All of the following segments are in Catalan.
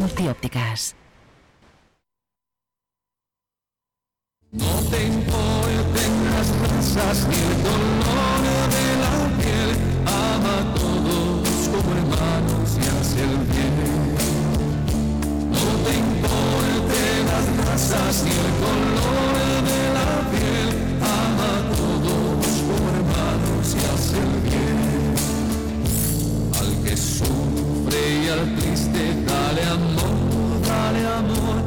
Multiópticas. No te importen las razas ni el color de la piel, ama a todos como hermanos y hace el bien. No te importen las razas ni el color de la piel, ama a todos como hermanos y hace el bien. Al que sufre y al triste dale amor, dale amor.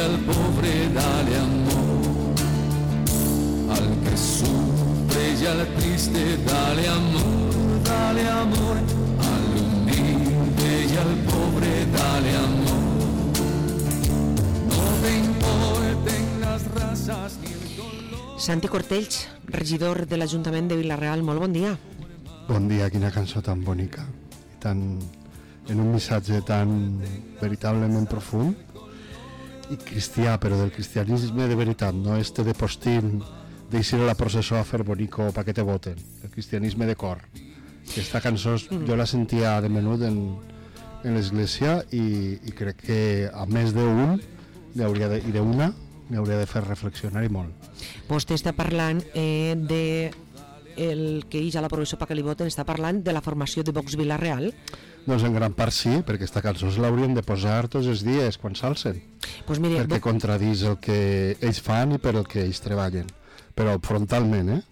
Al pobre dale amor, al que sufre y al triste dale amor, al humilde y al pobre dale amor. No te importen las razas ni el color. Santi Cortells, regidor de l'Ajuntament de Vila-real, molt bon dia. Bon dia, quina cançó tan bonica, tan, en un missatge tan veritablement profund i cristià, però del cristianisme de veritat, no este de postín d'eixir a la processó a fer bonico pa que te voten, el cristianisme de cor. Aquesta cançó jo la sentia de menut en l'església i crec que a més d'un i d'una n'hauria de fer reflexionar i molt. Vostè està parlant de el que ix a la processó pa que li voten, està parlant de la formació de Vox Vila-real. Doncs en gran part sí, perquè aquesta cançó l'haurien de posar tots els dies quan s'alcen, Pues mire, perquè contradís el que ells fan i per el que ells treballen, però frontalment,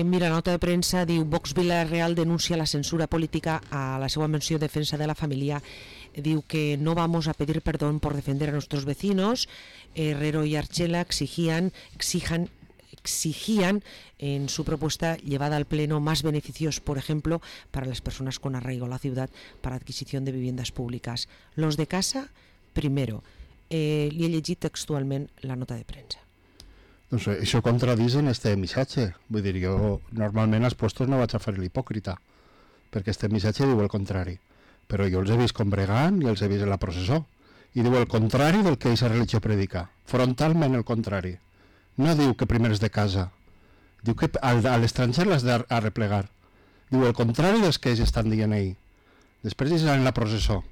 mira, nota de premsa diu Vox Vila-real denuncia la censura política a la seva menció defensa de la familia. Diu que no vamos a pedir perdón por defender a nuestros vecinos. Herrero y Archela exigían en su propuesta llevada al Pleno más beneficios, por ejemplo, para las personas con arraigo a la ciudad para adquisición de viviendas públicas. Los de casa, primero. Li he llegit textualment la nota de premsa. Doncs això contradís en este missatge. Vull dir, jo normalment als puestos no vaig a fer l'hipòcrita, perquè este missatge diu el contrari. Però jo els he vist combregant i els he vist en la processó. I diu el contrari del que aquesta religió predica. Frontalment el contrari. No diu que primer és de casa. Diu que a l'estranger l'has d'arreplegar. Diu el contrari dels que ells estan dient ell. Després ells van en la processó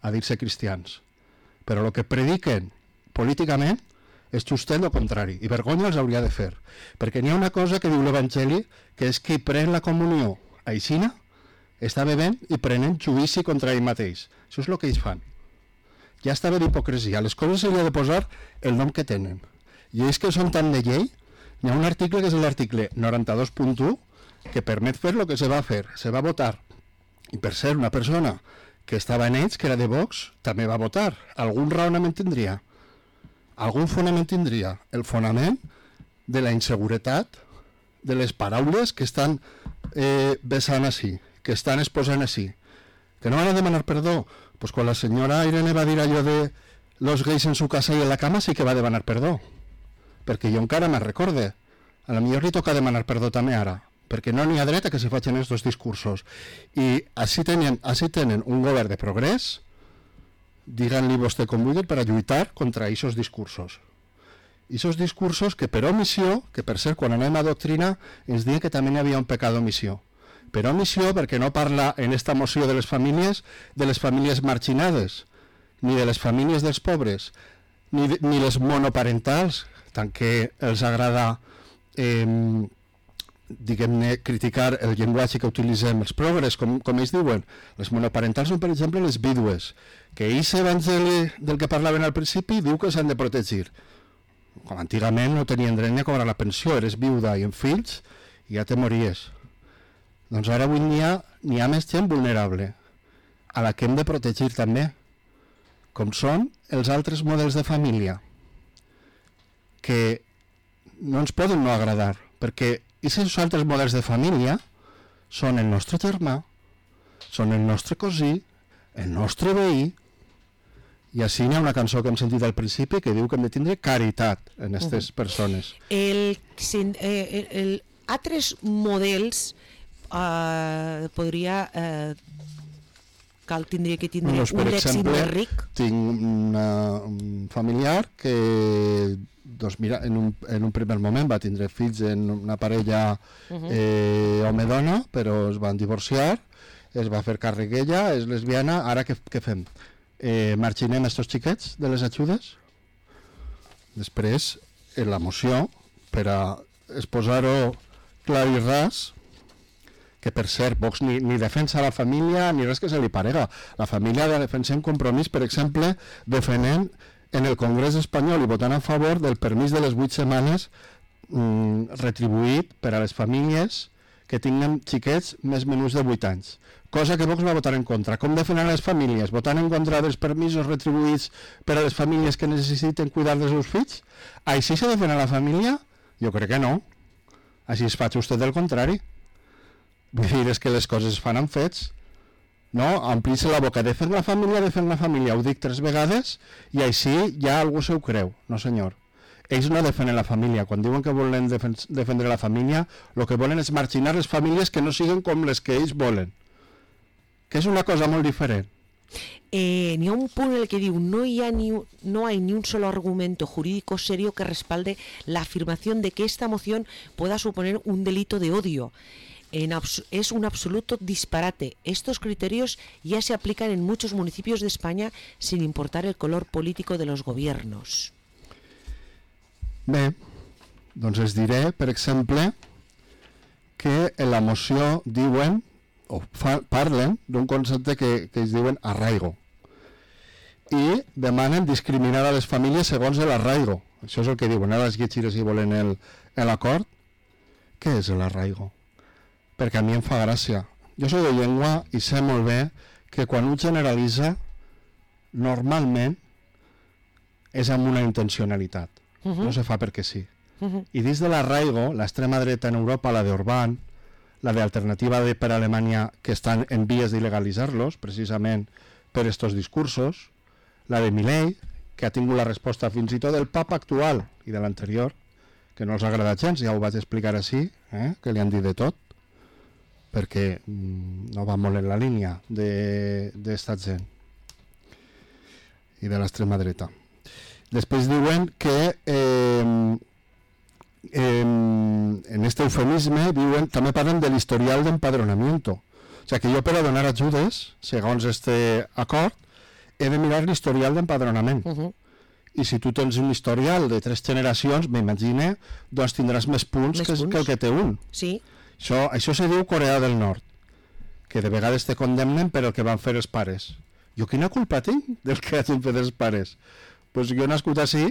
a dir-se cristians. Però el que prediquen políticament és justet el contrari. I vergonya els hauria de fer. Perquè n'hi ha una cosa que diu l'Evangeli, que és que pren la comunió aixina, està bevent i prenen judici contra ell mateix. Això és el que ells fan. Ja està bé d'hipocresia. A les coses s'hauria de posar el nom que tenen. I ells que són tan de llei, hi ha un article que és l'article 92.1 que permet fer el que se va fer, se va votar. I per ser una persona que estava en ells, que era de Vox, també va votar. Algun raonament tindria. Algun fonament tindria. El fonament de la inseguretat, de les paraules que estan vessant així, que estan exposant així. Que no van a demanar perdó? Pues quan la senyora Irene va dir allò de los gays en su casa y en la cama sí que va demanar perdó. Perquè jo encara me'n recorde. A la millor li toca demanar perdó també ara, perquè no n'hi ha dret a que se facin aquests discursos. I així tenen un govern de progrés, digan-li vostè com vulgui, per a lluitar contra aquests discursos. Aquests discursos que per omissió, que per cert, quan anem a doctrina, ens diuen que també hi havia un pecat d'omissió. Per omissió, perquè no parla en esta moció de les famílies marginades, ni de les famílies dels pobres, ni les monoparentals, tant que els agrada diguem-ne criticar el llenguatge que utilitzem els progres, com ells diuen. Les monoparentals són, per exemple, les vídues, que aquest evangeli del que parlaven al principi diu que s'han de protegir. Com antigament no tenien dret ni a cobrar la pensió, eres viuda i amb fills i ja te mories. Doncs ara avui n'hi ha més gent vulnerable, a la que hem de protegir també, com són els altres models de família, que no ens poden no agradar, perquè aquests altres models de família són el nostre germà, són el nostre cosí, el nostre veí, i així hi ha una cançó que hem sentit al principi que diu que hem de tindre caritat en aquestes persones. Altres models tindria que tindre un lèxic més ric. Tinc un familiar que mira, en un primer moment va tindre fills en una parella home-dona, però es van divorciar. es va fer càrrec ella, és lesbiana, ara què fem? Marginem estos xiquets de les ajudes? Després, en la moció, per a exposar-ho clar i ras, que per cert, Vox ni defensa la família ni res que se li parega. La família de defensar un compromís, per exemple, defendent en el Congrés espanyol i votant a favor del permís de les 8 setmanes retribuït per a les famílies que tinguen xiquets més menús de 8 anys. Cosa que Vox va votar en contra. Com defenen les famílies? Votant en contra dels permisos retribuïts per a les famílies que necessiten cuidar dels seus fills? Així se defena la família? Jo crec que no. Així es fa just del contrari. Vull dir, és que les coses es fan amb fets. No? Omplir-se la boca. Defen la família. Ho dic 3 vegades i així ja algú se ho creu. No, senyor. Ells no defenen la família. Quan diuen que volen defendre la família, el que volen és marginar les famílies que no siguin com les que ells volen. Que és una cosa molt diferent. N'hi ha un punt en el que diu no hay ni un solo argumento jurídico serio que respalde la afirmación de que esta moción pueda suponer un delito de odio. Es un absoluto disparate. Estos criterios ya se aplican en muchos municipios de España sin importar el color político de los gobiernos. Bé, doncs es diré, per exemple, que en la moció diuen o parlen d'un concepte que es diuen arraigo i demanen discriminar a les famílies segons l'arraigo. Això és el que diuen. Ara les llegiré si volen l'acord. Què és l'arraigo? Perquè a mi em fa gràcia. Jo soc de llengua i sé molt bé que quan un generalitza normalment és amb una intencionalitat. No se fa perquè sí. I dins de l'arraigo, l'extrema dreta en Europa, la d'Orbán, la d'Alternativa per a Alemanya, que estan en vies d'il·legalitzar-los, precisament per estos discursos, la de Milei, que ha tingut la resposta fins i tot del papa actual i de l'anterior, que no els agrada gens, ja ho vaig explicar així, que li han dit de tot, perquè no va molt en la línia d'esta gent i de l'extrema dreta. Després diuen que en este eufemisme també parlen de l'historial d'empadronamiento. O sigui que jo per a donar ajudes, segons este acord, he de mirar l'historial d'empadronament. I si tu tens un historial de 3 generacions, m'imagine, doncs tindràs més punts que el que té un. Sí. Això se diu Corea del Nord, que de vegades te condemnen per el que van fer els pares. Jo quina culpa tinc del que hagin fet els pares? Doncs jo he nascut així,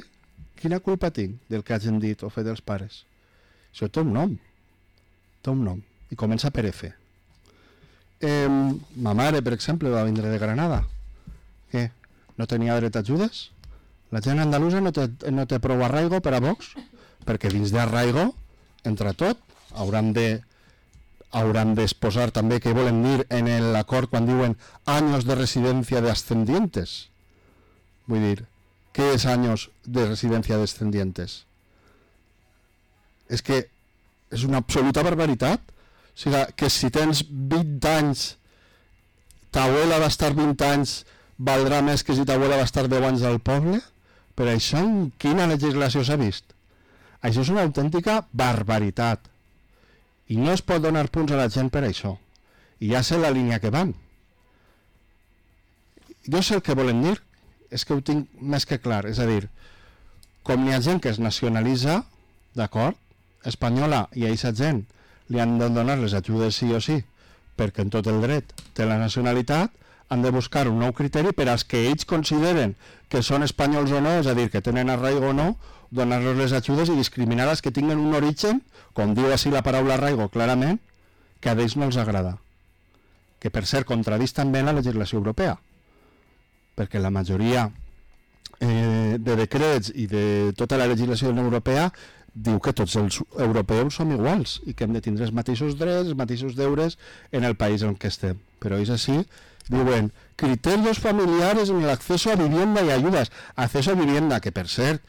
quina culpa tinc del que hagin dit o fet els pares? Això té un nom. Té un nom. I comença per F. Ma mare, per exemple, va vindre de Granada. Què? No tenia dret a ajudes? La gent andalusa no té prou arraigo per a Vox? Perquè dins d'arraigo, entre tot, hauran d'exposar també què volen dir en l'acord quan diuen anys de residència de ascendientes. Vull dir, què és anys de residència de ascendientes? És que és una absoluta barbaritat. O sigui, que si tens 20 anys, ta abuela va estar 20 anys, valdrà més que si ta abuela va estar 10 anys al poble? Per això en quina legislació s'ha vist? Això és una autèntica barbaritat. I no es pot donar punts a la gent per això. I ja sé la línia que van. Jo sé el que volen dir, és que ho tinc més que clar. És a dir, com hi ha gent que es nacionalitza, d'acord, espanyola, i a aquesta gent li han de donar les ajudes sí o sí, perquè en tot el dret té la nacionalitat, han de buscar un nou criteri per als que ells consideren que són espanyols o no, és a dir, que tenen arraigo o no, donar-los les ajudes i discriminar els que tinguen un origen, com diu així la paraula arraigo clarament, que a ells no els agrada. Que per cert contradís també la legislació europea, perquè la majoria de decrets i de tota la legislació europea diu que tots els europeus som iguals i que hem de tindre els mateixos drets, els mateixos deures en el país en què estem. Però és així, diuen criterios familiares en el acceso a vivienda y ayudas. Acceso a vivienda, que per cert,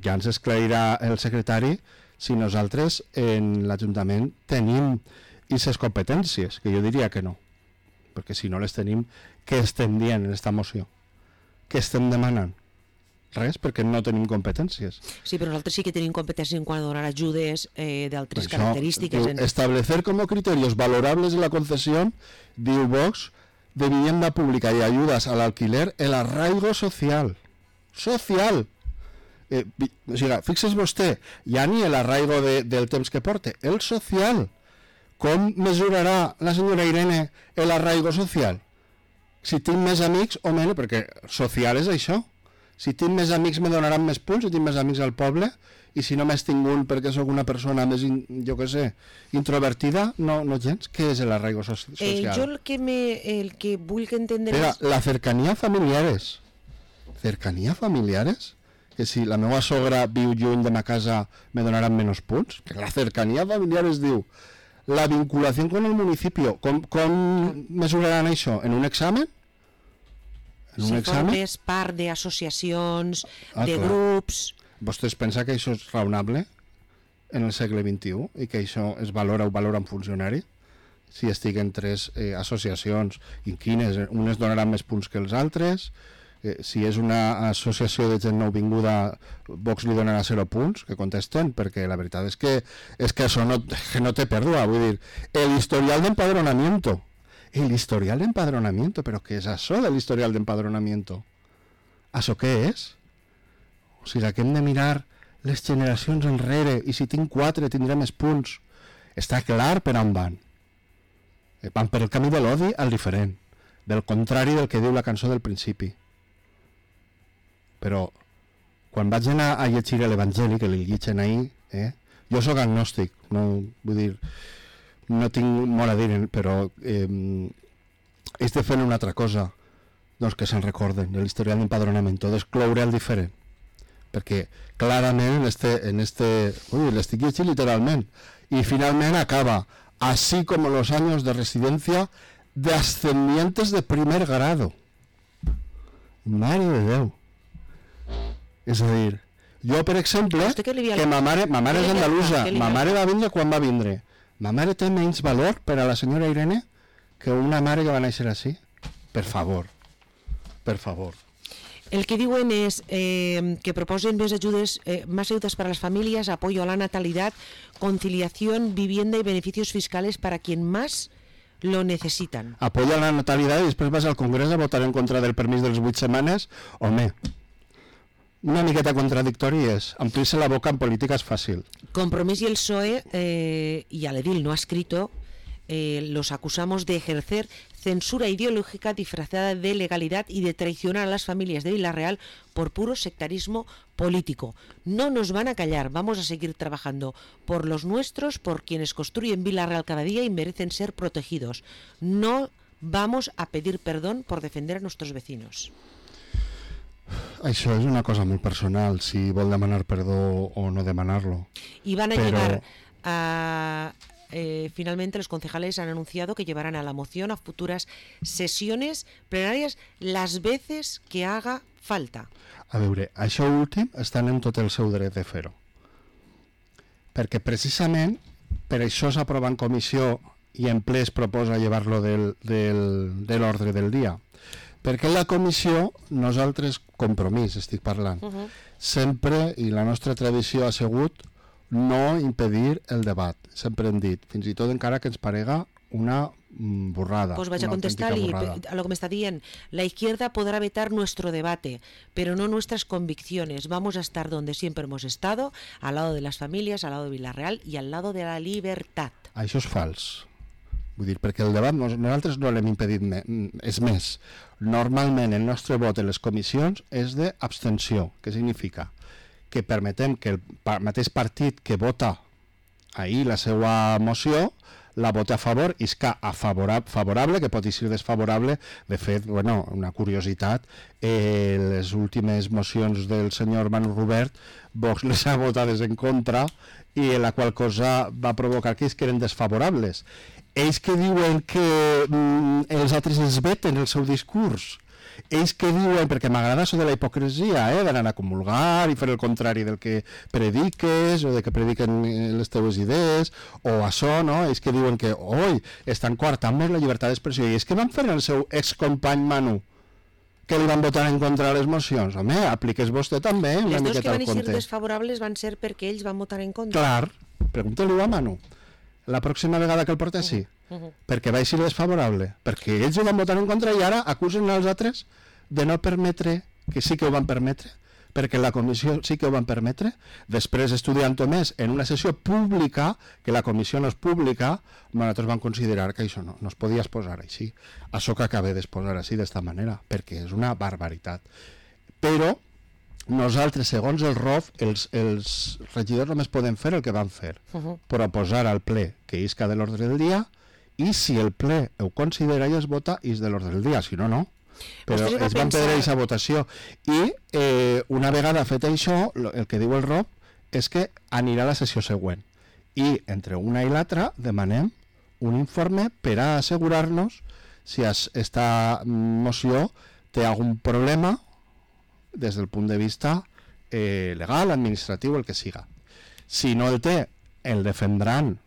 ja ens esclarirà el secretari si nosaltres en l'Ajuntament tenim aquestes competències, que jo diria que no, perquè si no les tenim, què estem dient en aquesta moció? Què estem demanant? Res, perquè no tenim competències. Sí, però nosaltres sí que tenim competències en quant a donar ajudes d'altres característiques. Establecer como criterios valorables de la concesión, diu Vox, de vivienda pública y ayudas al alquiler, el arraigo social. Social! O sigui, fixes vostè, ja ni l'arraigo del temps que porte, el social. Com mesurarà la senyora Irene el arraigo social? Si tinc més amics o menys, perquè social és això. Si tinc més amics me donaran més punts, si tinc més amics al poble, i si només tinc un perquè sóc una persona més, jo què sé, introvertida, no gens. Què és l'arraigo social? Jo el que vull que entendre és... La cercanía familiares. Cercanía familiares? Que si la meva sogra viu lluny de ma casa me donaran menys punts? Que la cercanía familiares diu la vinculació con el municipio. Com mesuraran això? En un examen? Si formes part d'associacions, de grups... Vostès pensa que això és raonable en el segle XXI i que això es valora o valora un funcionari? Si estiguen tres associacions i quines, unes donaran més punts que els altres, si és una associació de gent nouvinguda, Vox li donarà 0 punts, que contesten, perquè la veritat és que això no té pèrdua, vull dir, el historial d'empadronamiento. El historial d'empadronamiento, però què és això de l'historial d'empadronamiento? Això què és? O sigui, que hem de mirar les generacions enrere i si tinc 4 tindré més punts. Està clar per on van. Van per el camí de l'odi al diferent, del contrari del que diu la cançó del principi. Però quan vaig anar a llegir l'Evangeli, que li llitgen ahir, jo sóc agnòstic, no, vull dir, no tinc molt a dir, però és de fer una altra cosa, doncs que se'n recorden de l'historial d'empadronament, d'excloure el diferent, perquè clarament l'estic llegint literalment, i finalment acaba, así como los años de residencia de ascendientes de primer grado. Mare de Déu. És a dir, jo, per exemple, que ma mare és andalusa, ma mare va vindre quan va vindre. Ma mare té menys valor per a la senyora Irene que una mare que va néixer així? Per favor. Per favor. El que diuen és que proposen més ajudes, más ayudas para las familias, apoyo a la natalidad, conciliación, vivienda y beneficios fiscales para quien más lo necesitan. Apoyo a la natalidad i després vas al Congrés a votar en contra del permís de les 8 setmanes? Home, una miqueta contradictori és omplir-se la boca en política és fàcil. Compromís y el PSOE y al edil no ha escrito, los acusamos de ejercer censura ideológica disfrazada de legalidad y de traicionar a las familias de Villarreal por puro sectarismo político. No nos van a callar, vamos a seguir trabajando por los nuestros, por quienes construyen Villarreal cada día y merecen ser protegidos. No vamos a pedir perdón por defender a nuestros vecinos. Això és una cosa molt personal, si vol demanar perdó o no demanar-lo. Y van a llevar a... finalmente los concejales han anunciado que llevarán a la moción a futuras sesiones plenarias las veces que haga falta. A veure, això últim estan en tot el seu dret de fer-ho. Perquè precisament per això s'aprova en comissió i en ple es proposa llevar-lo de l'ordre del dia. Perquè en la comissió nosaltres, Compromís estic parlant, sempre, i la nostra tradició ha sigut no impedir el debat. Sempre hem dit, fins i tot encara que ens parega una burrada. Pues vaig a contestar-li a lo que me está dient. La izquierda podrá vetar nuestro debate, pero no nuestras convicciones. Vamos a estar donde siempre hemos estado, al lado de las familias, al lado de Villarreal y al lado de la libertad. Això és fals. Vull dir, perquè el debat nosaltres no l'hem impedit és més. Normalment el nostre vot en les comissions és d'abstenció. Què significa? Que permetem que el mateix partit que vota ahir la seva moció la vota a favor i és que a favorable, que pot ser desfavorable. De fet, bueno, una curiositat, les últimes mocions del senyor Manu Rubert, Vox les ha votades en contra i la qual cosa va provocar que eren desfavorables. Ells que diuen que els altres es veten el seu discurs, ells que diuen, perquè m'agrada això de la hipocresia, d'anar a comulgar i fer el contrari del que prediques o de que prediquen les teves idees o això, no? Ells que diuen que estan coartant-nos la llibertat d'expressió i és que van fer el seu excompany Manu que li van votar en contra de les mocions. Home, apliques vostè també una Les dos que miqueta van al ser compte. desfavorables van ser perquè ells van votar en contra. Clar, pregunta-li-ho a Manu. La pròxima vegada que el portessi. Perquè va ser desfavorable. Perquè ells ho van votar en contra i ara acusen els altres de no permetre, que sí que ho van permetre, perquè la comissió sí que ho van permetre, després estudiant-ho més en una sessió pública, que la comissió no és pública, nosaltres vam considerar que això no es podia exposar així. Això que acabé d'exposar així d'esta manera, perquè és una barbaritat. Però nosaltres, segons el ROF, els regidors només poden fer el que van fer, proposar al ple que isca de l'ordre del dia, i si el ple ho considera i es vota, és de l'ordre del dia, si no, no. Però es van perdre aquesta votació. I una vegada fet això, el que diu el ROF és que anirà a la sessió següent. I entre una i l'altra demanem un informe per a assegurar-nos si aquesta moció té algun problema des del punt de vista legal, administratiu, el que siga. Si no el té, el defendran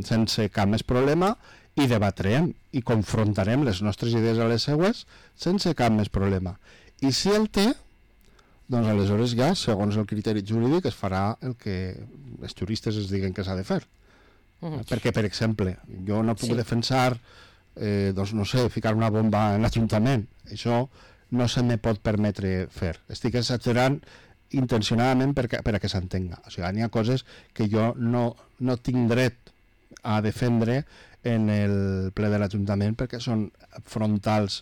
sense cap més problema i debatrem i confrontarem les nostres idees a les seues sense cap més problema. I si el té, doncs aleshores ja, segons el criteri jurídic, es farà el que els juristes es diguen que s'ha de fer. Perquè, per exemple, jo no puc defensar, doncs no sé, ficar una bomba en l'Ajuntament. Això no se me pot permetre fer. Estic exagerant intencionadament per a que s'entenga. O sigui, hi ha coses que jo no tinc dret a defendre en el ple de l'Ajuntament perquè són frontals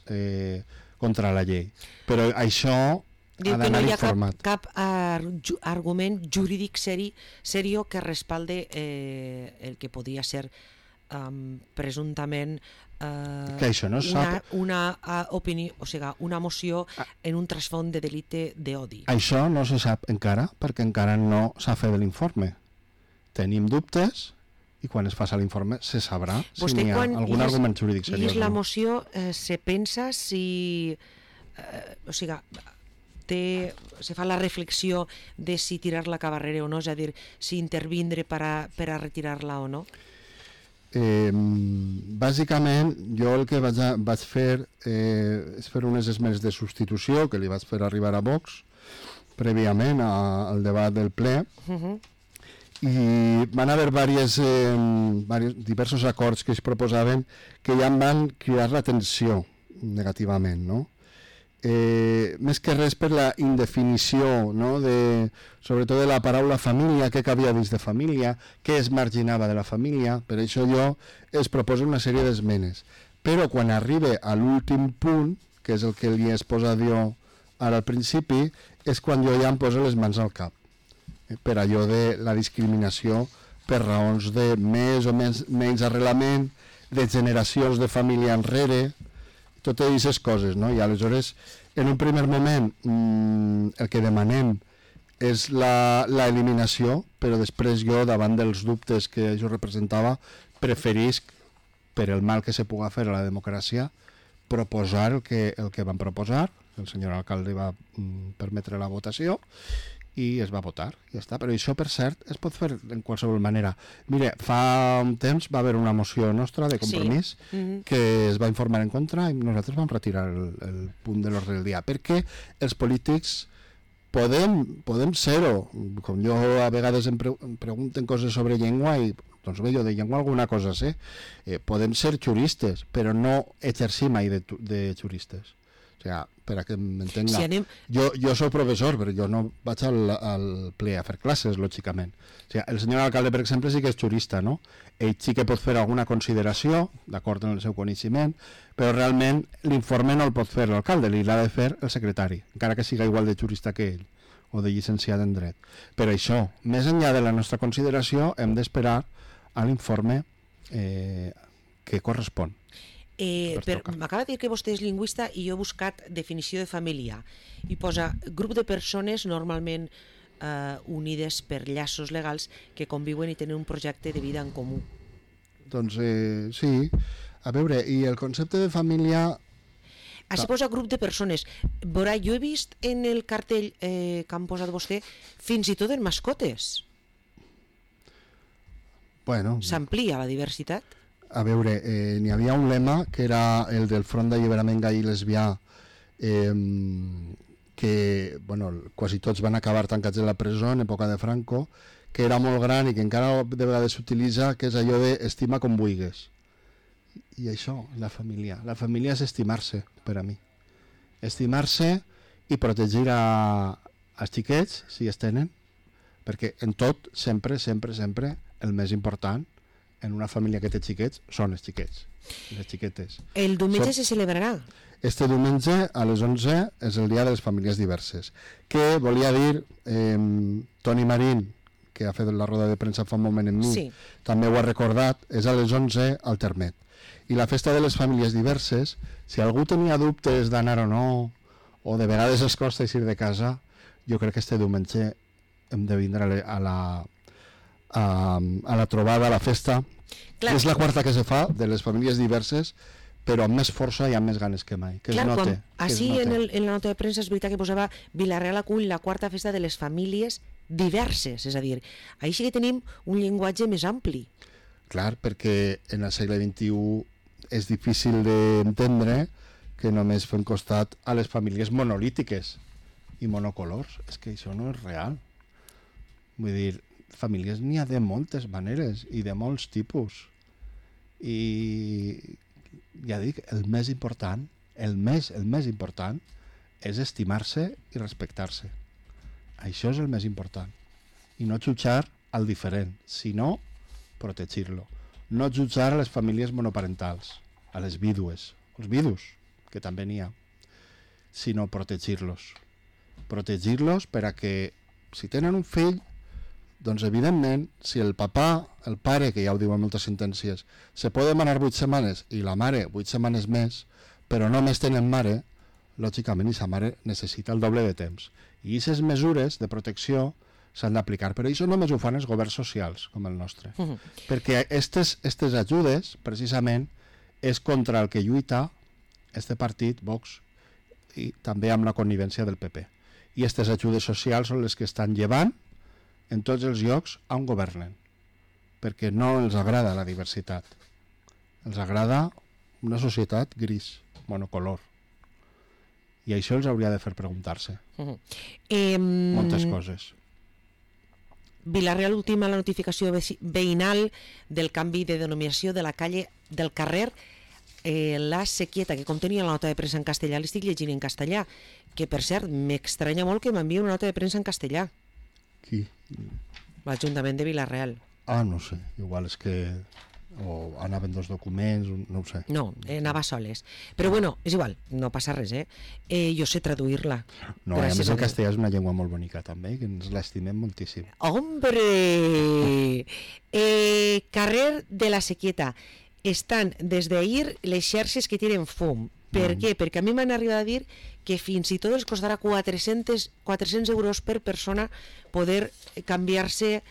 contra la llei. Però això ha d'anar informat. Cap argument jurídic serio que respalde el que podia ser presumptament que això no una opinió, o sigui, una moció en un trasfond de delicte d'odi. Això no se sap encara perquè encara no s'ha fet l'informe. Tenim dubtes i quan es faci l'informe se sabrà si n'hi ha algun argument jurídic seriós. I la moció se pensa si... o sigui, se fa la reflexió de si tirar-la a carrera o no, és a dir, si intervindre per a retirar-la o no? Bàsicament, jo el que vaig fer és fer unes esmenes de substitució que li vaig fer arribar a Vox prèviament al debat del ple, i van haver diversos acords que es proposaven que ja em van cridar l'atenció negativament, no? Més que res per la indefinició, no? Sobretot de la paraula família, què cabia dins de família, què es marginava de la família. Per això jo es proposo una sèrie d'esmenes. Però quan arribe a l'últim punt, que és el que li he exposat jo ara al principi, és quan jo ja em poso les mans al cap. Per allò de la discriminació per raons de més o menys arrelament, de generacions de família enrere, totes aquestes coses, no? I aleshores, en un primer moment, el que demanem és l'eliminació, però després jo, davant dels dubtes que jo representava, preferisc, per el mal que se puga fer a la democràcia, proposar el que van proposar, el senyor alcalde va permetre la votació, i es va votar, ja està. Però això, per cert, es pot fer en qualsevol manera. Mire, fa un temps va haver una moció nostra de Compromís que es va informar en contra i nosaltres vam retirar el punt de l'ordre del dia, perquè els polítics podem ser-ho. Com jo a vegades em pregunten coses sobre llengua i doncs bé, jo de llengua alguna cosa sé. Podem ser juristes, però no exercir mai de juristes. O sigui, per a que m'entenga. Si anem... Jo soc professor, però jo no vaig al ple a fer classes, lògicament. O sigui, el senyor alcalde, per exemple, sí que és jurista, no? Ell sí que pot fer alguna consideració, d'acord amb el seu coneixement, però realment l'informe no el pot fer l'alcalde, l'ha de fer el secretari, encara que siga igual de jurista que ell, o de llicenciat en dret. Per això, més enllà de la nostra consideració, hem d'esperar a l'informe que correspon. M'acaba de dir que vostè és lingüista i jo he buscat definició de família i posa grup de persones normalment unides per llaços legals que conviuen i tenen un projecte de vida en comú. Doncs sí, a veure, i el concepte de família... Així posa grup de persones. Veurà, jo he vist en el cartell que han posat vostè fins i tot en mascotes. Bueno... S'amplia la diversitat? A veure, n'hi havia un lema que era el del Front d'Alliberament Gai i Lesbià que quasi tots van acabar tancats en la presó en època de Franco, que era molt gran i que encara de vegades s'utilitza, que és allò de estima com vulguis. I això, la família és estimar-se, per a mi. Estimar-se i protegir als xiquets, si es tenen, perquè en tot, sempre, el més important en una família que té xiquets són els xiquets, les xiquetes. El diumenge se celebrarà? Este diumenge a les 11 és el dia de les famílies diverses, que volia dir Toni Marín, que ha fet la roda de premsa fa un moment amb mi, sí. També ho ha recordat, és a les 11 al Termet. I la festa de les famílies diverses, si algú tenia dubtes d'anar o no, o de vegades es costa eixir de casa, jo crec que este diumenge hem de vindre a la trobada, a la festa. Clar. És la quarta que se fa de les famílies diverses, però amb més força i amb més ganes que mai. Que clar, es note. Així en la nota de premsa és veritat que posava Vila-real acull la quarta festa de les famílies diverses, és a dir, així que tenim un llenguatge més ampli. Clar, perquè en el segle XXI és difícil d'entendre que només fem costat a les famílies monolítiques i monocolors. És que això no és real. Vull dir, famílies n'hi ha de moltes maneres i de molts tipus. I ja dic, el més important és estimar-se i respectar-se. Això és el més important. I no jutjar al diferent, sinó protegir-lo. No jutjar a les famílies monoparentals, a les vídues, els vidus, que també n'hi ha, sinó protegir-los. Protegir-los per a que, si tenen un fill, doncs evidentment, si el pare, que ja ho diuen moltes sentències, se pot demanar 8 setmanes i la mare 8 setmanes més, però només tenen mare, lògicament aquesta mare necessita el doble de temps. I aquestes mesures de protecció s'han d'aplicar, però això només ho fan els governs socials, com el nostre. Perquè aquestes ajudes, precisament, és contra el que lluita este partit, Vox, i també amb la connivència del PP. I aquestes ajudes socials són les que estan llevant en tots els llocs on governen, perquè no els agrada la diversitat. Els agrada una societat gris, monocolor. I això els hauria de fer preguntar-se. Moltes coses. Vila-real ultima la notificació veïnal del canvi de denominació de la calle del carrer La Sequieta, que com tenia la nota de premsa en castellà, l'estic llegint en castellà, que per cert m'estranya molt que m'enviï una nota de premsa en castellà. Qui? L'Ajuntament de Vila-real. No sé, igual és que o anaven 2 documents, no ho sé. No, anava soles. Però bueno, és igual, no passa res, jo sé traduir-la. No, a més el castellà és una llengua molt bonica també, que ens l'estimem moltíssim. ¡Hombre! Carrer de la Sequieta. Estan des d'ahir les xarxes que tiren fum. Per què? Perquè a mi m'han arribat a dir que fins i tot els costarà 400 euros per persona poder canviar-se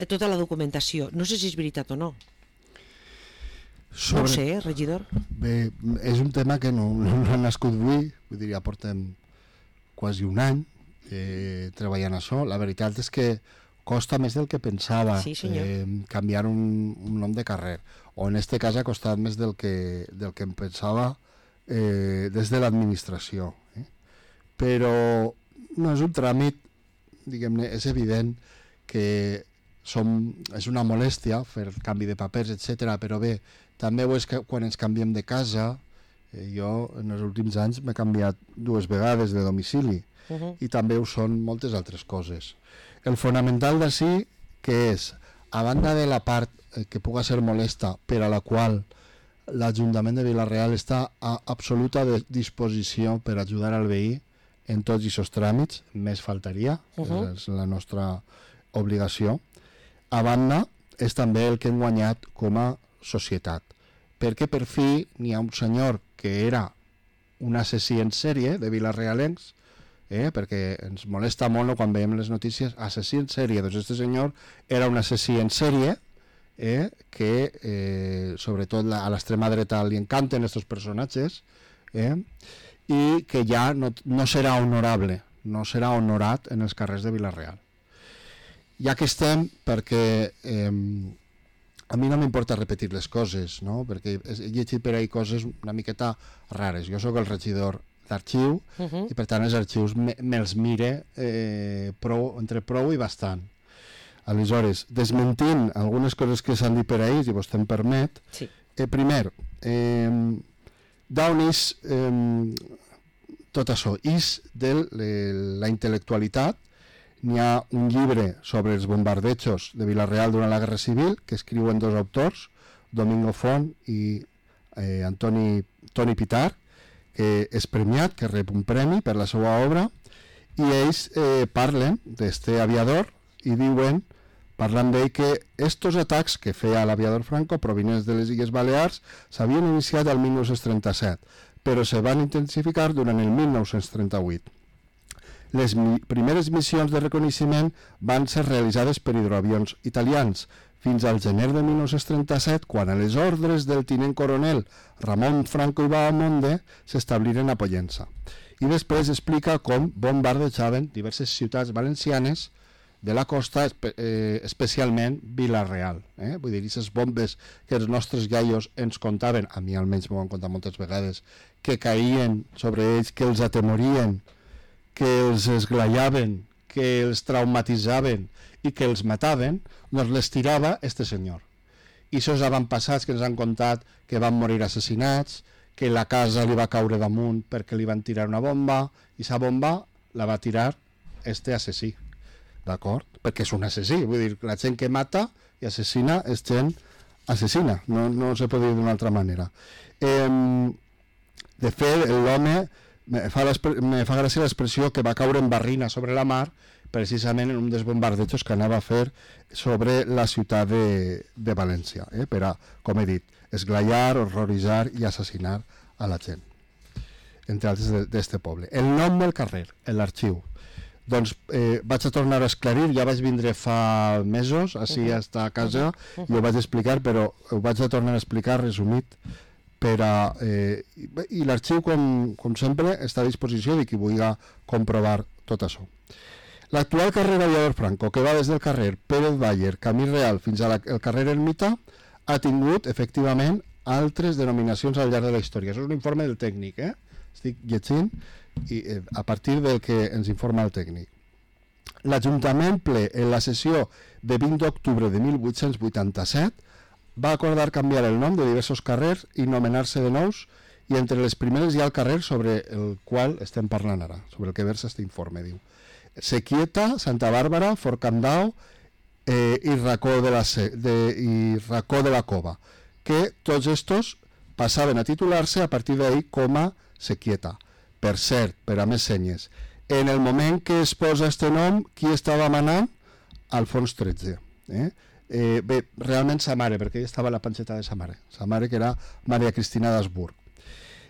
tota la documentació. No sé si és veritat o no. No ho sé, regidor. Bé, és un tema que no ha nascut avui, vull dir, ja portem quasi un any treballant això. La veritat és que costa més del que pensava canviar un nom de carrer, o en este cas ha costat més del que em pensava des de l'administració. Però no és un tràmit, diguem-ne, és evident que és una molèstia fer el canvi de papers, etc. Però bé, també ho és que quan ens canviem de casa, jo en els últims anys m'he canviat 2 vegades de domicili, i també ho són moltes altres coses. El fonamental d'ací, que és, a banda de la part que puga ser molesta, per a la qual l'Ajuntament de Vila-real està a absoluta disposició per ajudar al veí en tots aquests tràmits, més faltaria, és la nostra obligació. A banda, és també el que hem guanyat com a societat, perquè per fi n'hi ha un senyor que era un assassí en sèrie de vilarealencs, perquè ens molesta molt quan veiem les notícies, assassí en sèrie. Doncs aquest senyor era un assassí en sèrie que sobretot a l'extrema dreta li encanten aquests personatges, i que ja no serà honorable, no serà honorat en els carrers de Vila-real. Ja que estem, perquè a mi no m'importa repetir les coses, no? Perquè he llegit per ahí coses una miqueta rares. Jo sóc el regidor d'arxiu, i per tant els arxius me'ls mire entre prou i bastant. Aleshores, desmentint algunes coses que s'han dit per ahir, si vostè em permet, primer, d'on és tot això? És de la intel·lectualitat. N'hi ha un llibre sobre els bombardejos de Vila-real durant la Guerra Civil que escriuen dos autors, Domingo Font i Toni Pitar, que és premiat, que rep un premi per la seva obra, i ells parlen d'este aviador i diuen, parlant d'ell, que estos atacs que feia l'aviador Franco provinents de les Illes Balears s'havien iniciat el 1937, però se van intensificar durant el 1938. Les primeres missions de reconeixement van ser realitzades per hidroavions italians, fins al gener de 1937, quan a les ordres del tinent coronel Ramon Franco i Bahamonde s'establiren a Pollença. I després explica com bombardejaven diverses ciutats valencianes de la costa, especialment Vila-real. Vull dir, aquestes bombes que els nostres iaios ens contaven, a mi almenys m'ho han contat moltes vegades, que caïen sobre ells, que els atemorien, que els esglaiaven, que els traumatitzaven i que els mataven, doncs les tirava este senyor. I això avantpassats que ens han contat que van morir assassinats, que la casa li va caure damunt perquè li van tirar una bomba, i aquesta bomba la va tirar este assassí. D'acord? Perquè és un assassí, vull dir, la gent que mata i assassina és gent assassina, no se pot dir d'una altra manera. De fet, l'home, me fa gràcia l'expressió que va caure en barrina sobre la mar, precisament en un dels bombardejos que anava a fer sobre la ciutat de València, per a, com he dit, esglaiar, horroritzar i assassinar a la gent, entre altres d'este poble. El nom del carrer, l'arxiu. Doncs vaig a tornar a esclarir, ja vaig vindre fa mesos així a esta casa i ho vaig explicar, però ho vaig a tornar a explicar resumit i l'arxiu, com sempre, està a disposició de qui vulgui comprovar tot això. L'actual carrer Aviador Franco, que va des del carrer Pérez Bayer, Camí Real, fins al carrer Ermita, ha tingut, efectivament, altres denominacions al llarg de la història. Això és un informe del tècnic, estic llegint i a partir del que ens informa el tècnic. L'Ajuntament ple, en la sessió de 20 d'octubre de 1887, va acordar canviar el nom de diversos carrers i nomenar-se de nous, i entre les primeres hi ha el carrer sobre el qual estem parlant ara, sobre el que versa aquest informe, diu. Sequieta, Santa Bàrbara, Fort Candau i Racó de la Cova, que tots estos passaven a titular-se a partir d'ahir com a Sequieta. Per cert, per a més senyes, en el moment que es posa este nom, qui estava manant? Alfons XIII. Bé, realment sa mare, perquè ella estava a la panxeta de sa mare, que era Maria Cristina d'Habsburg.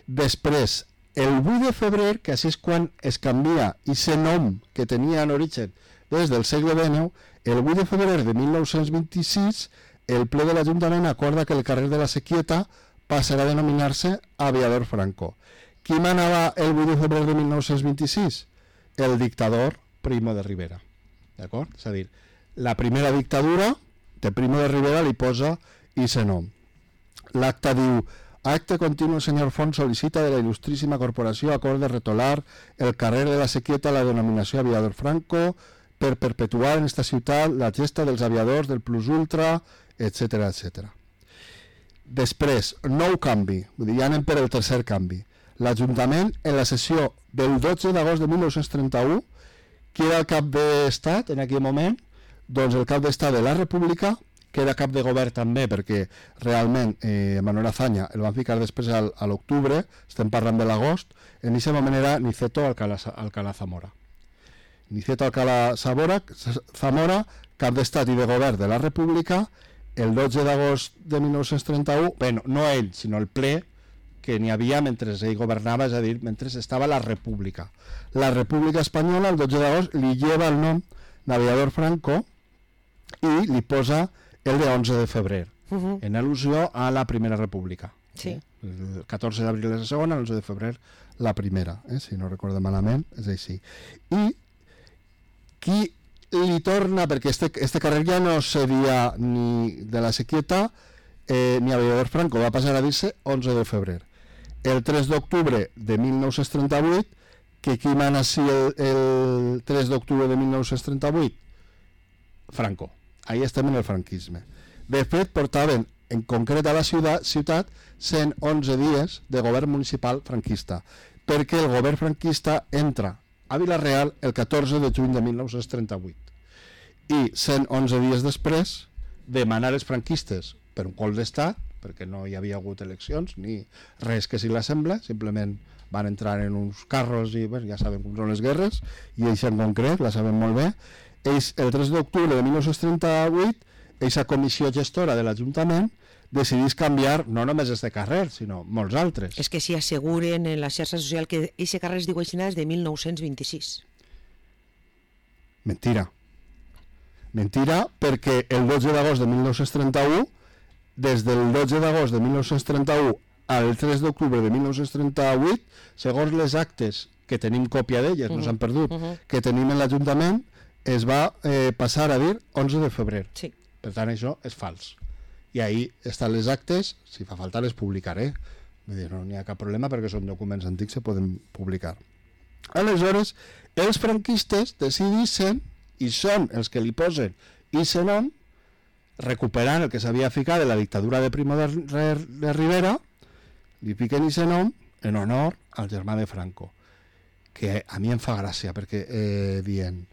Després, el 8 de febrer, que així és quan es canvia aquest nom que tenia en origen des del segle XIX, el 8 de febrer de 1926, el ple de l'Ajuntament acorda que el carrer de la Sequieta passarà a denominar-se Aviador Franco. Qui manava el 8 de febrer de 1926? El dictador Primo de Rivera. D'acord? És a dir, la primera dictadura de Primo de Rivera li posa aquest nom. L'acta diu: acte continu, senyor Font, sol·licita de la il·lustríssima corporació acord de retolar el carrer de la Sequieta a la denominació Aviador Franco per perpetuar en esta ciutat la gesta dels aviadors del plus ultra, etc. etc. Després, nou canvi, vull dir, ja anem per el tercer canvi. L'Ajuntament, en la sessió del 12 d'agost de 1931, qui era el cap d'estat en aquell moment? Doncs el cap d'estat de la República, que era cap de govern també, perquè realment Manuel Azaña el van ficar després a l'octubre, estem parlant de l'agost, en aquest moment era Niceto Alcalá Zamora. Niceto Alcalá Zamora, cap d'estat i de govern de la República, el 12 d'agost de 1931, bueno, no ell, sinó el ple que n'hi havia mentre ell governava, és a dir, mentre estava la República. La República Espanyola, el 12 d'agost, li lleva el nom d'Aviador Franco i li posa el de 11 de febrer, en al·lusió a la Primera República. Sí. El 14 d'abril és la segona, el 11 de febrer la primera, si no recordo malament, és així. I qui li torna, perquè este carrer ja no seria ni de la Sequieta ni Aviador Franco, va passar a dir-se 11 de febrer. el 3 d'octubre de 1938, que qui mana així el 3 d'octubre de 1938? Franco. Ahí estem en el franquisme. De fet, portaven en concret a la ciutat 111 dies de govern municipal franquista, perquè el govern franquista entra a Vila-real el 14 de juny de 1938 i 111 dies després demanar els franquistes per un cop d'estat, perquè no hi havia hagut eleccions ni res que s'hi l'assembla, simplement van entrar en uns carros i ja sabem com són les guerres, i ells en concret la saben molt bé. Ells, el 3 d'octubre de 1938, aquesta comissió gestora de l'Ajuntament decidís canviar no només este carrer, sinó molts altres. És que s'hi asseguren en la xarxa social que aquest carrer es diu així des de 1926. Mentira. Mentira, perquè el 12 d'agost de 1931, des del 12 d'agost de 1931 al 3 d'octubre de 1938, segons les actes que tenim còpia d'elles, no s'han perdut, que tenim en l'Ajuntament, es va passar a dir 11 de febrer. Sí. Per tant, això és fals. I ahí estan les actes, si fa falta les publicaré. Vull dir, no n'hi ha cap problema perquè són documents antics, se poden publicar. Aleshores, els franquistes decidissin, i són els que li posen aquest nom, recuperant el que s'havia ficat de la dictadura de Primo de Rivera, li fiquen aquest nom en honor al germà de Franco, que a mi em fa gràcia, perquè dient,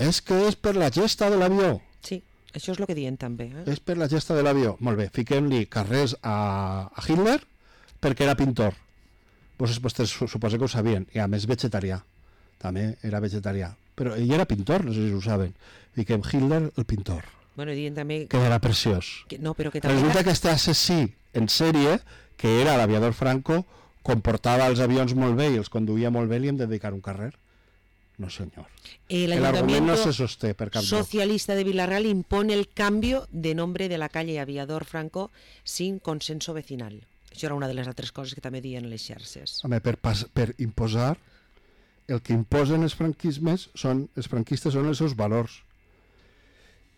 és que és per la gesta de l'avió. Sí, això és el que diuen també. És per la gesta de l'avió. Molt bé, fiquem-li carrers a Hitler perquè era pintor. Vostès suposo que ho sabien, i a més vegetarià. També era vegetarià. Però ell era pintor, no sé si ho saben. Fiquem Hitler, el pintor. Bueno, diuen també... Quedarà preciós. No, però que també... Resulta que este assassí en sèrie, que era l'aviador Franco, comportava els avions molt bé i els conduïa molt bé, li hem de dedicar un carrer. No, senyor. El argument no se sosté per cap socialista de Villarreal impone el cambio de nombre de la calle Aviador Franco sin consenso vecinal. Això era una de les altres coses que també diuen les xarxes. Home, per imposar, el que imposen els franquistes són els seus valors.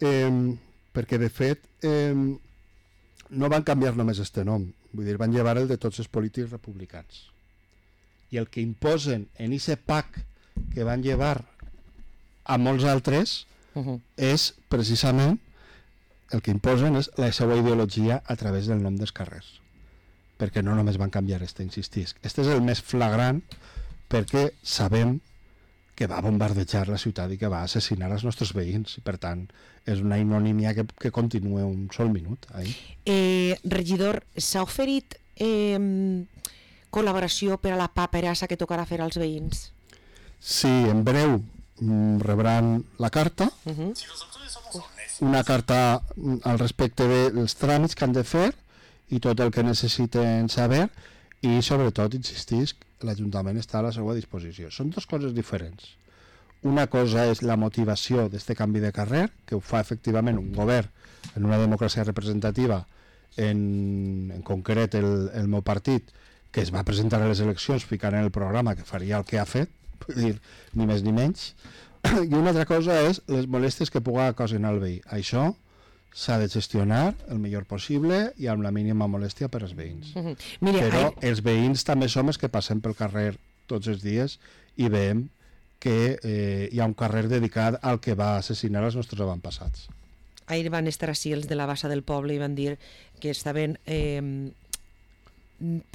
Perquè, de fet, no van canviar només este nom. Vull dir, van llevar el de tots els polítics republicans. I el que imposen en aquest PAC que van llevar a molts altres és precisament el que imposen és la seva ideologia a través del nom dels carrers, perquè no només van canviar insistisc. Este és el més flagrant perquè sabem que va bombardejar la ciutat i que va assassinar els nostres veïns, i per tant és una ignomínia que continua un sol minut. Regidor, s'ha oferit col·laboració per a la paperassa que tocarà fer als veïns? Sí, en breu rebran la carta, una carta al respecte dels tràmits que han de fer i tot el que necessiten saber, i sobretot, insistisc, l'Ajuntament està a la seva disposició. Són dues coses diferents. Una cosa és la motivació d'aquest canvi de carrer, que ho fa efectivament un govern en una democràcia representativa, en concret el meu partit, que es va presentar a les eleccions ficant en el programa que faria el que ha fet, vull dir, ni més ni menys. I una altra cosa és les molèsties que pugui ocasionar el veí. Això s'ha de gestionar el millor possible i amb la mínima molèstia per als veïns. Però els veïns també som els que passem pel carrer tots els dies i veiem que hi ha un carrer dedicat al que va assassinar els nostres avantpassats. Ahir van estar així els de la Bassa del Poble i van dir que estaven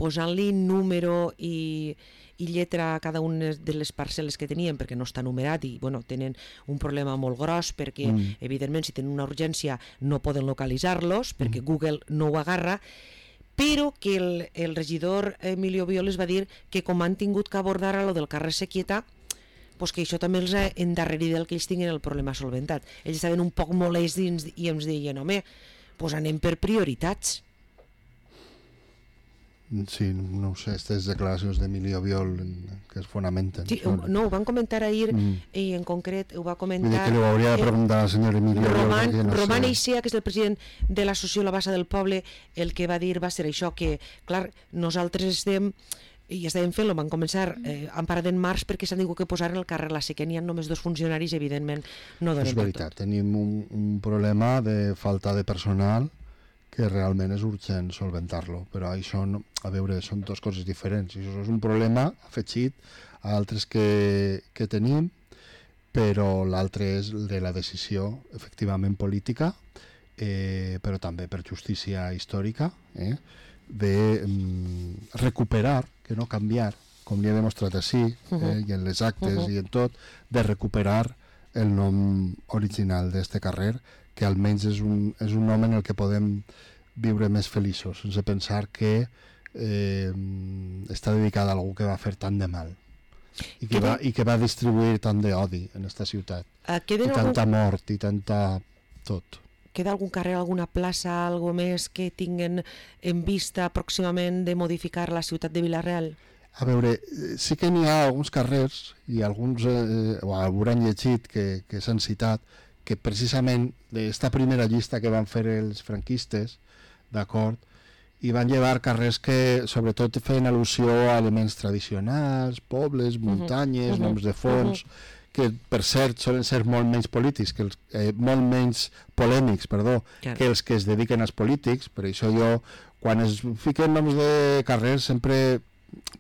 posant-li número i lletra a cada una de les parcel·les que tenien, perquè no està numerat i tenen un problema molt gros perquè evidentment si tenen una urgència no poden localitzar-los perquè Google no ho agarra, però que el regidor Emilio Violes va dir que com han tingut que abordar a lo del carrer Sequieta, que això també els ha endarrerit del que ells tinguin el problema solventat. Ells estaven un poc molestos i ens deien, home, anem per prioritats. Sí, no ho sé, aquestes declaracions d'Emilio Viol que es fonamenten. Sí, no, ho van comentar ahir i en concret ho va comentar... Vull dir que li ho hauria de preguntar al senyor Emilio Viol. Roman Eixea, que és el president de l'associació La Bassa del Poble, el que va dir va ser això, que clar, nosaltres estem... i estàvem fent-lo, van començar emparat en març perquè s'han tingut que posar en el carrer la que n'hi ha només 2 funcionaris, evidentment no donen per tot. És veritat, tenim un problema de falta de personal que realment és urgent solventar-lo, però això, a veure, són dues coses diferents, i això és un problema afegit a altres que tenim, però l'altre és de la decisió efectivament política, però també per justícia històrica, de recuperar, que no canviar, com li he demostrat així, i en les actes i en tot, de recuperar el nom original d'este carrer, que almenys és un nom en el que podem viure més feliços, sense pensar que està dedicada a algú que va fer tant de mal i que va distribuir tant d'odi en esta ciutat, i tanta mort i tanta tot. Queda algun carrer, alguna plaça, algo més que tinguen en vista pròximament de modificar la ciutat de Vila-real? A veure, sí que n'hi ha alguns carrers i alguns hauran llegit que s'han citat, que precisament d'esta primera llista que van fer els franquistes, d'acord, i van llevar carrers que sobretot feien al·lusió a elements tradicionals, pobles, muntanyes, noms de fonts, que per cert solen ser molt menys polítics, molt menys polèmics, que els que es dediquen als polítics. Per això jo, quan es fiquen noms de carrers, sempre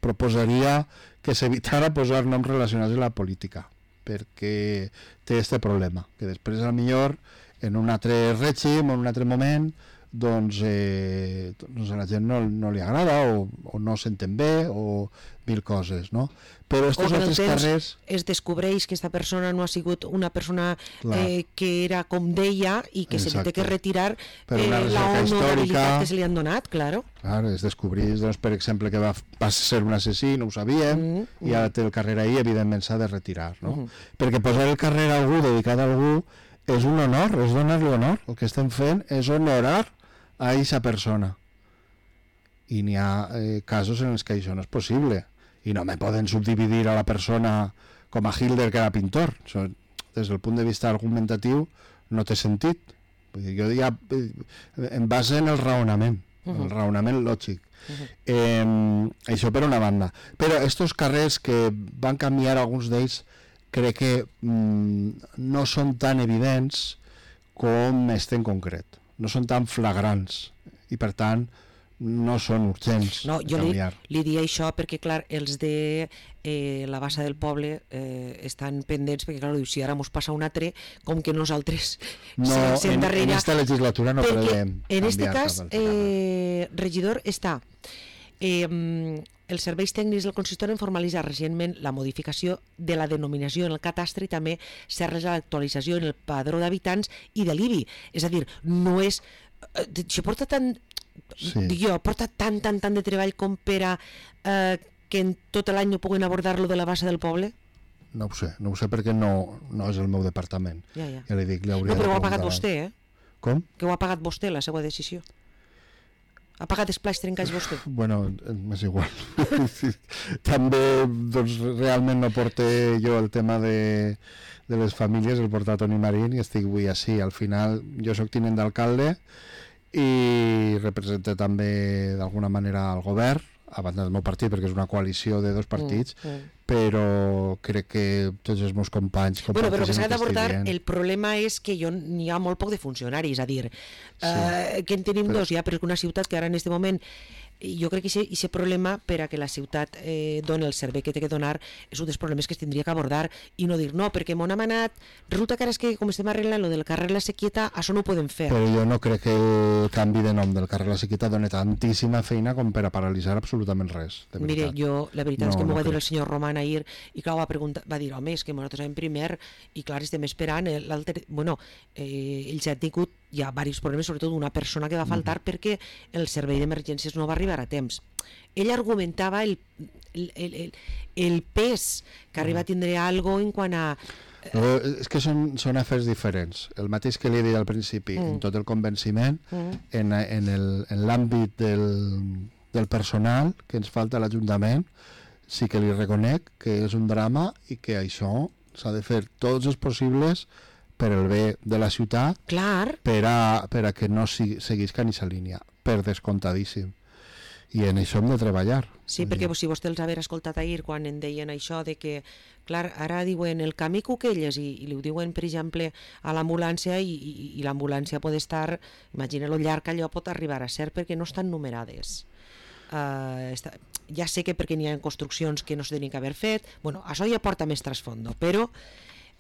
proposaria que s'evitara posar noms relacionats amb la política, perquè té aquest problema, que després a millor en un altre règim o en un altre moment doncs a la gent no li agrada o no s'entén bé o mil coses, no? Però estos altres carrers es descobreix que aquesta persona no ha sigut una persona que era com deia i que se li té que retirar l'honorabilitat que se li han donat, claro. Claro, es descobreix, doncs, per exemple, que va ser un assassí, no ho sabíem, i ara té el carrer ahí, evidentment s'ha de retirar, no? Perquè posar el carrer a algú, dedicat a algú, és un honor, és donar-li honor. El que estem fent és honorar a aquesta persona. I n'hi ha casos en els que això no és possible. I no me poden subdividir a la persona com a Hitler, que era pintor. Això, des del punt de vista argumentatiu, no té sentit. Vull dir, jo ja em base en el raonament, el raonament lògic. Això per una banda. Però estos carrers que van canviar, alguns d'ells, crec que no són tan evidents com este en concret. No són tan flagrants i, per tant, no són urgents de canviar. Jo li diria això perquè, clar, els de la bassa del poble estan pendents, perquè, clar, si ara mos passa un altre, com que nosaltres en aquesta legislatura no podem canviar. En aquest cas, regidor, està... Els serveis tècnics del consistori han formalitzat recentment la modificació de la denominació en el catastre i també s'ha realitzat l'actualització en el padró d'habitants i de l'IBI. És a dir, no és... Això porta tant... Dic jo, porta tant de treball com per a que en tot l'any no puguen abordar-lo de la bassa del poble? No ho sé perquè no és el meu departament. Ja li dic, li hauria de preguntar. No, però ho ha pagat vostè, Com? Que ho ha pagat vostè, la seva decisió. Ha pagat els plats trencats vostè? Bueno, m'és igual. També, doncs, realment no porté jo el tema de les famílies, el porta Toni Marín i estic avui així. Al final, jo sóc tinent d'alcalde i represento també d'alguna manera el govern, a banda del meu partit, perquè és una coalició de dos partits, però crec que tots els meus companys però que s'ha d'abordar, el problema és que n'hi ha molt poc de funcionaris, és a dir, que en tenim dos ja, però és una ciutat que ara en aquest moment jo crec que aquest problema per a que la ciutat doni el servei que té que donar és un dels problemes que es tindria que abordar i no dir no, perquè m'ho han manat, resulta que ara és que com estem arreglant lo del carrer La Sequieta, això no ho podem fer. Però jo no crec que el canvi de nom del carrer La Sequieta doni tantíssima feina com per a paralitzar absolutament res, de veritat. Mire, jo, la veritat és que m'ho va dir el senyor Roman ahir i clar, va dir, home, és que nosaltres en primer i clar, estem esperant l'altre, bueno, ells han tingut hi ha diversos problemes, sobretot una persona que va faltar perquè el servei d'emergències no va arribar a temps. Ell argumentava el pes que arriba a tindre algo en quant a... És que són afers diferents. El mateix que li he dit al principi, en tot el convenciment, en l'àmbit del personal que ens falta a l'Ajuntament, sí que li reconec que és un drama i que això s'ha de fer tots els possibles per el bé de la ciutat, clar, per a que no seguisca en aquesta línia, per descomptadíssim. I en això hem de treballar. Sí, perquè si vostè els haver escoltat ahir quan en deien això de que, clar, ara diuen el camí Cuquelles i li ho diuen, per exemple, a l'ambulància i l'ambulància pot estar, imagina lo llarg que allò pot arribar a ser perquè no estan numerades. Ja sé que perquè n'hi ha construccions que no se tenien que haver fet, bueno, això ja porta més trasfondo, però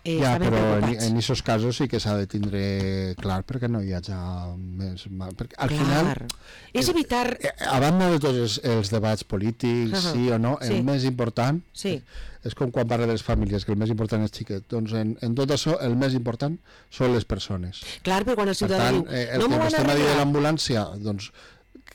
ja, però en aquests casos sí que s'ha de tindre clar perquè no hi hagi més mal. Perquè al final és evitar... A banda de tots els debats polítics, sí o no, el més important és com quan parla de les famílies, que el més important és xiquet. Doncs en tot això el més important són les persones. Clar, però quan el ciutadà diu... El que vostè m'ha dit de l'ambulància, doncs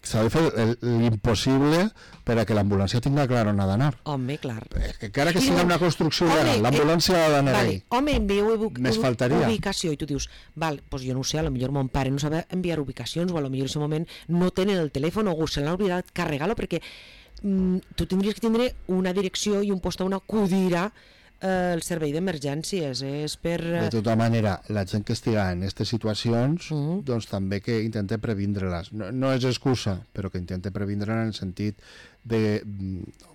s'ha de fer l'impossible per a que l'ambulància tinga clar on ha d'anar. Home, clar. Que encara que sigui una construcció legal, l'ambulància ha d'anar ahí. Home, envieu ubicació i tu dius, val, doncs jo no ho sé, potser mon pare no sabe enviar ubicacions o potser en aquest moment no tenen el telèfon o se l'han oblidat carregar-lo perquè tu tindries que tindre una direcció i un post on acudir el servei d'emergències, és per... De tota manera, la gent que estiga en aquestes situacions, doncs també que intente previndre-les. No és excusa, però que intente previndre en el sentit de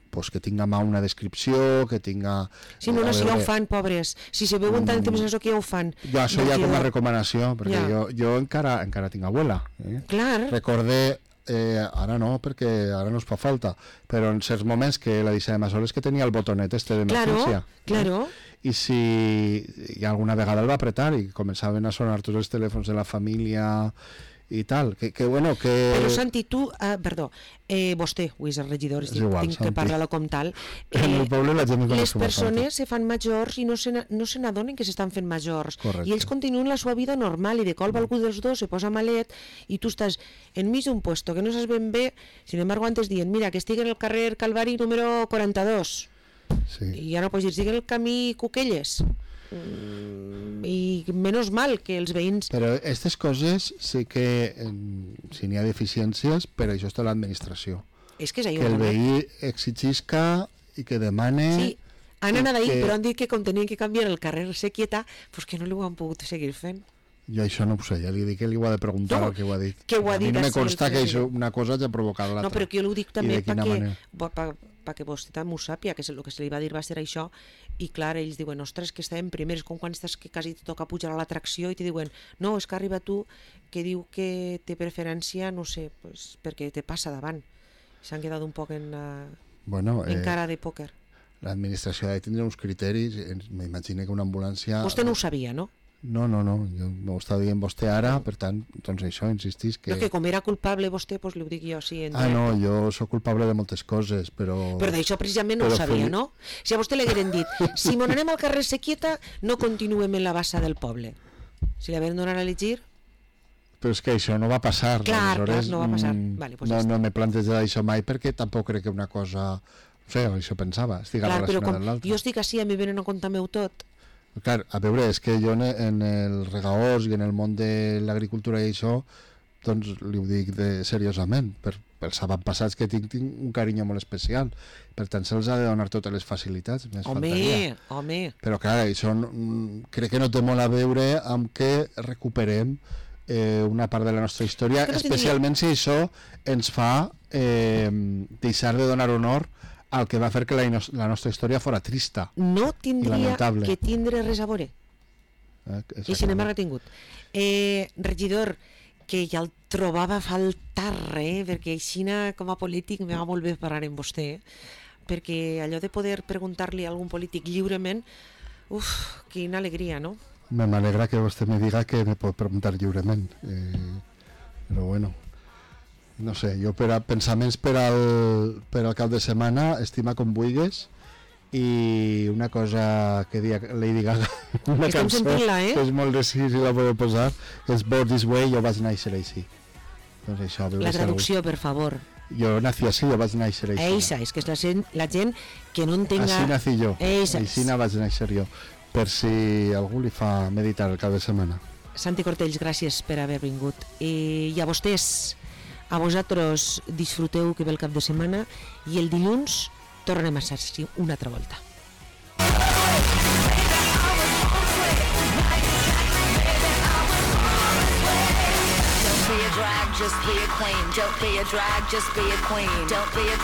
pues, que tinga mà una descripció, que tinga... Sí, no, si ja ho fan, pobres. Si se veuen tant temps això que ja ho fan. Jo això ja com a recomanació, perquè jo encara tinc abuela. Clar. Recordé... ara no, perquè ara no es fa falta, però en certs moments que la deixàvem a soles que tenia el botonet d'emergència. Claro. I si alguna vegada el va apretar i començaven a sonar tots els telèfons de la família i tal, que bueno, que... Però Santi, tu, perdó, vostè, avui és el regidor, tinc que parlar-lo com tal. En el poble la gent les persones se fan majors i no se n'adonen que s'estan fent majors. Correcte. I ells continuen la seva vida normal i de colp algú dels dos se posa malet i tu estàs enmig d'un puesto que no saps ben bé, sin embargo antes dient, mira, que estigui en el carrer Calvari número 42. Sí. I ja no pots dir, estigui en el camí Cuquelles. I menys mal que els veïns... Però aquestes coses sí que si n'hi ha deficiències, però això està l'administració. És que és allò. Que el veí exigisca i que demane... Sí, han anat ahir, però han dit que com tenien que canviar el carrer Sequieta, pues que no ho han pogut seguir fent. Jo això no ho sé, ja li dic que li ho ha de preguntar el que ho ha dit. Que ho ha dit. I no me consta que això, una cosa ja ha provocat l'altra. No, però que jo ho dic també perquè vostè també ho sàpia, que el que se li va dir va ser això, i clar, ells diuen, ostres, que estàvem primers, com quan estàs que quasi te toca pujar a l'atracció i te diuen, no, és que arriba tu que diu que té preferència, no sé, pues, perquè te passa davant. S'han quedat un poc en cara de pòquer. L'administració ha de tindre uns criteris, m'imagino que una ambulància... Vostè no ho sabia, no? No, jo m'ho està dient vostè ara, per tant, doncs això, insistís que... No, que com era culpable vostè, doncs li ho dic jo, sí. No, jo sóc culpable de moltes coses, però... Però d'això precisament no ho sabia, no? Si a vostè li hagueren dit, si mon anem al carrer Sequieta, no continuem en la bassa del poble. Si li hagueren donat a elegir... Però és que això no va passar. Clar, no va passar. Vale, pues no m'he plantejat això mai, perquè tampoc crec que una cosa... No sé, això pensava, estic relacionada amb l'altra. Jo estic així, a mi venen a contar meu tot. Clar, a veure, és que jo en el regaors i en el món de l'agricultura i això, doncs li ho dic seriosament, pels avantpassats que tinc un carinyo molt especial, per tant se'ls ha de donar totes les facilitats, més faltaria. Home. Però clar, això crec que no té molt a veure amb que recuperem una part de la nostra història, especialment si això ens fa deixar de donar honor al que va fer que la nostra història fora trista. No tindria que tindre res a veure. I sin embargo ha tingut. Regidor, que ja el trobava a faltar, perquè així com a polític me va molt bé parlar amb vostè, perquè allò de poder preguntar-li a algun polític lliurement, quina alegria, no? M'alegra que vostè me diga que me pot preguntar lliurement, però bueno... No sé, jo pensaments per al cap de setmana, estima com vulguis, i una cosa que dia Lady Gaga, una cançó que és molt de si la podeu posar, és Born This Way, jo vaig néixer així. Doncs això, la traducció, per favor. Jo nací així, jo vaig néixer així. Eixa, és que és la gent que no entenga... Així nací jo, així vaig néixer jo, per si algú li fa meditar el cap de setmana. Santi Cortells, gràcies per haver vingut. I a vostès... A vosaltres disfruteu que ve el cap de setmana i el dilluns tornem a ser una altra volta. just be a queen. Don't be a drag, just be a queen. Don't be a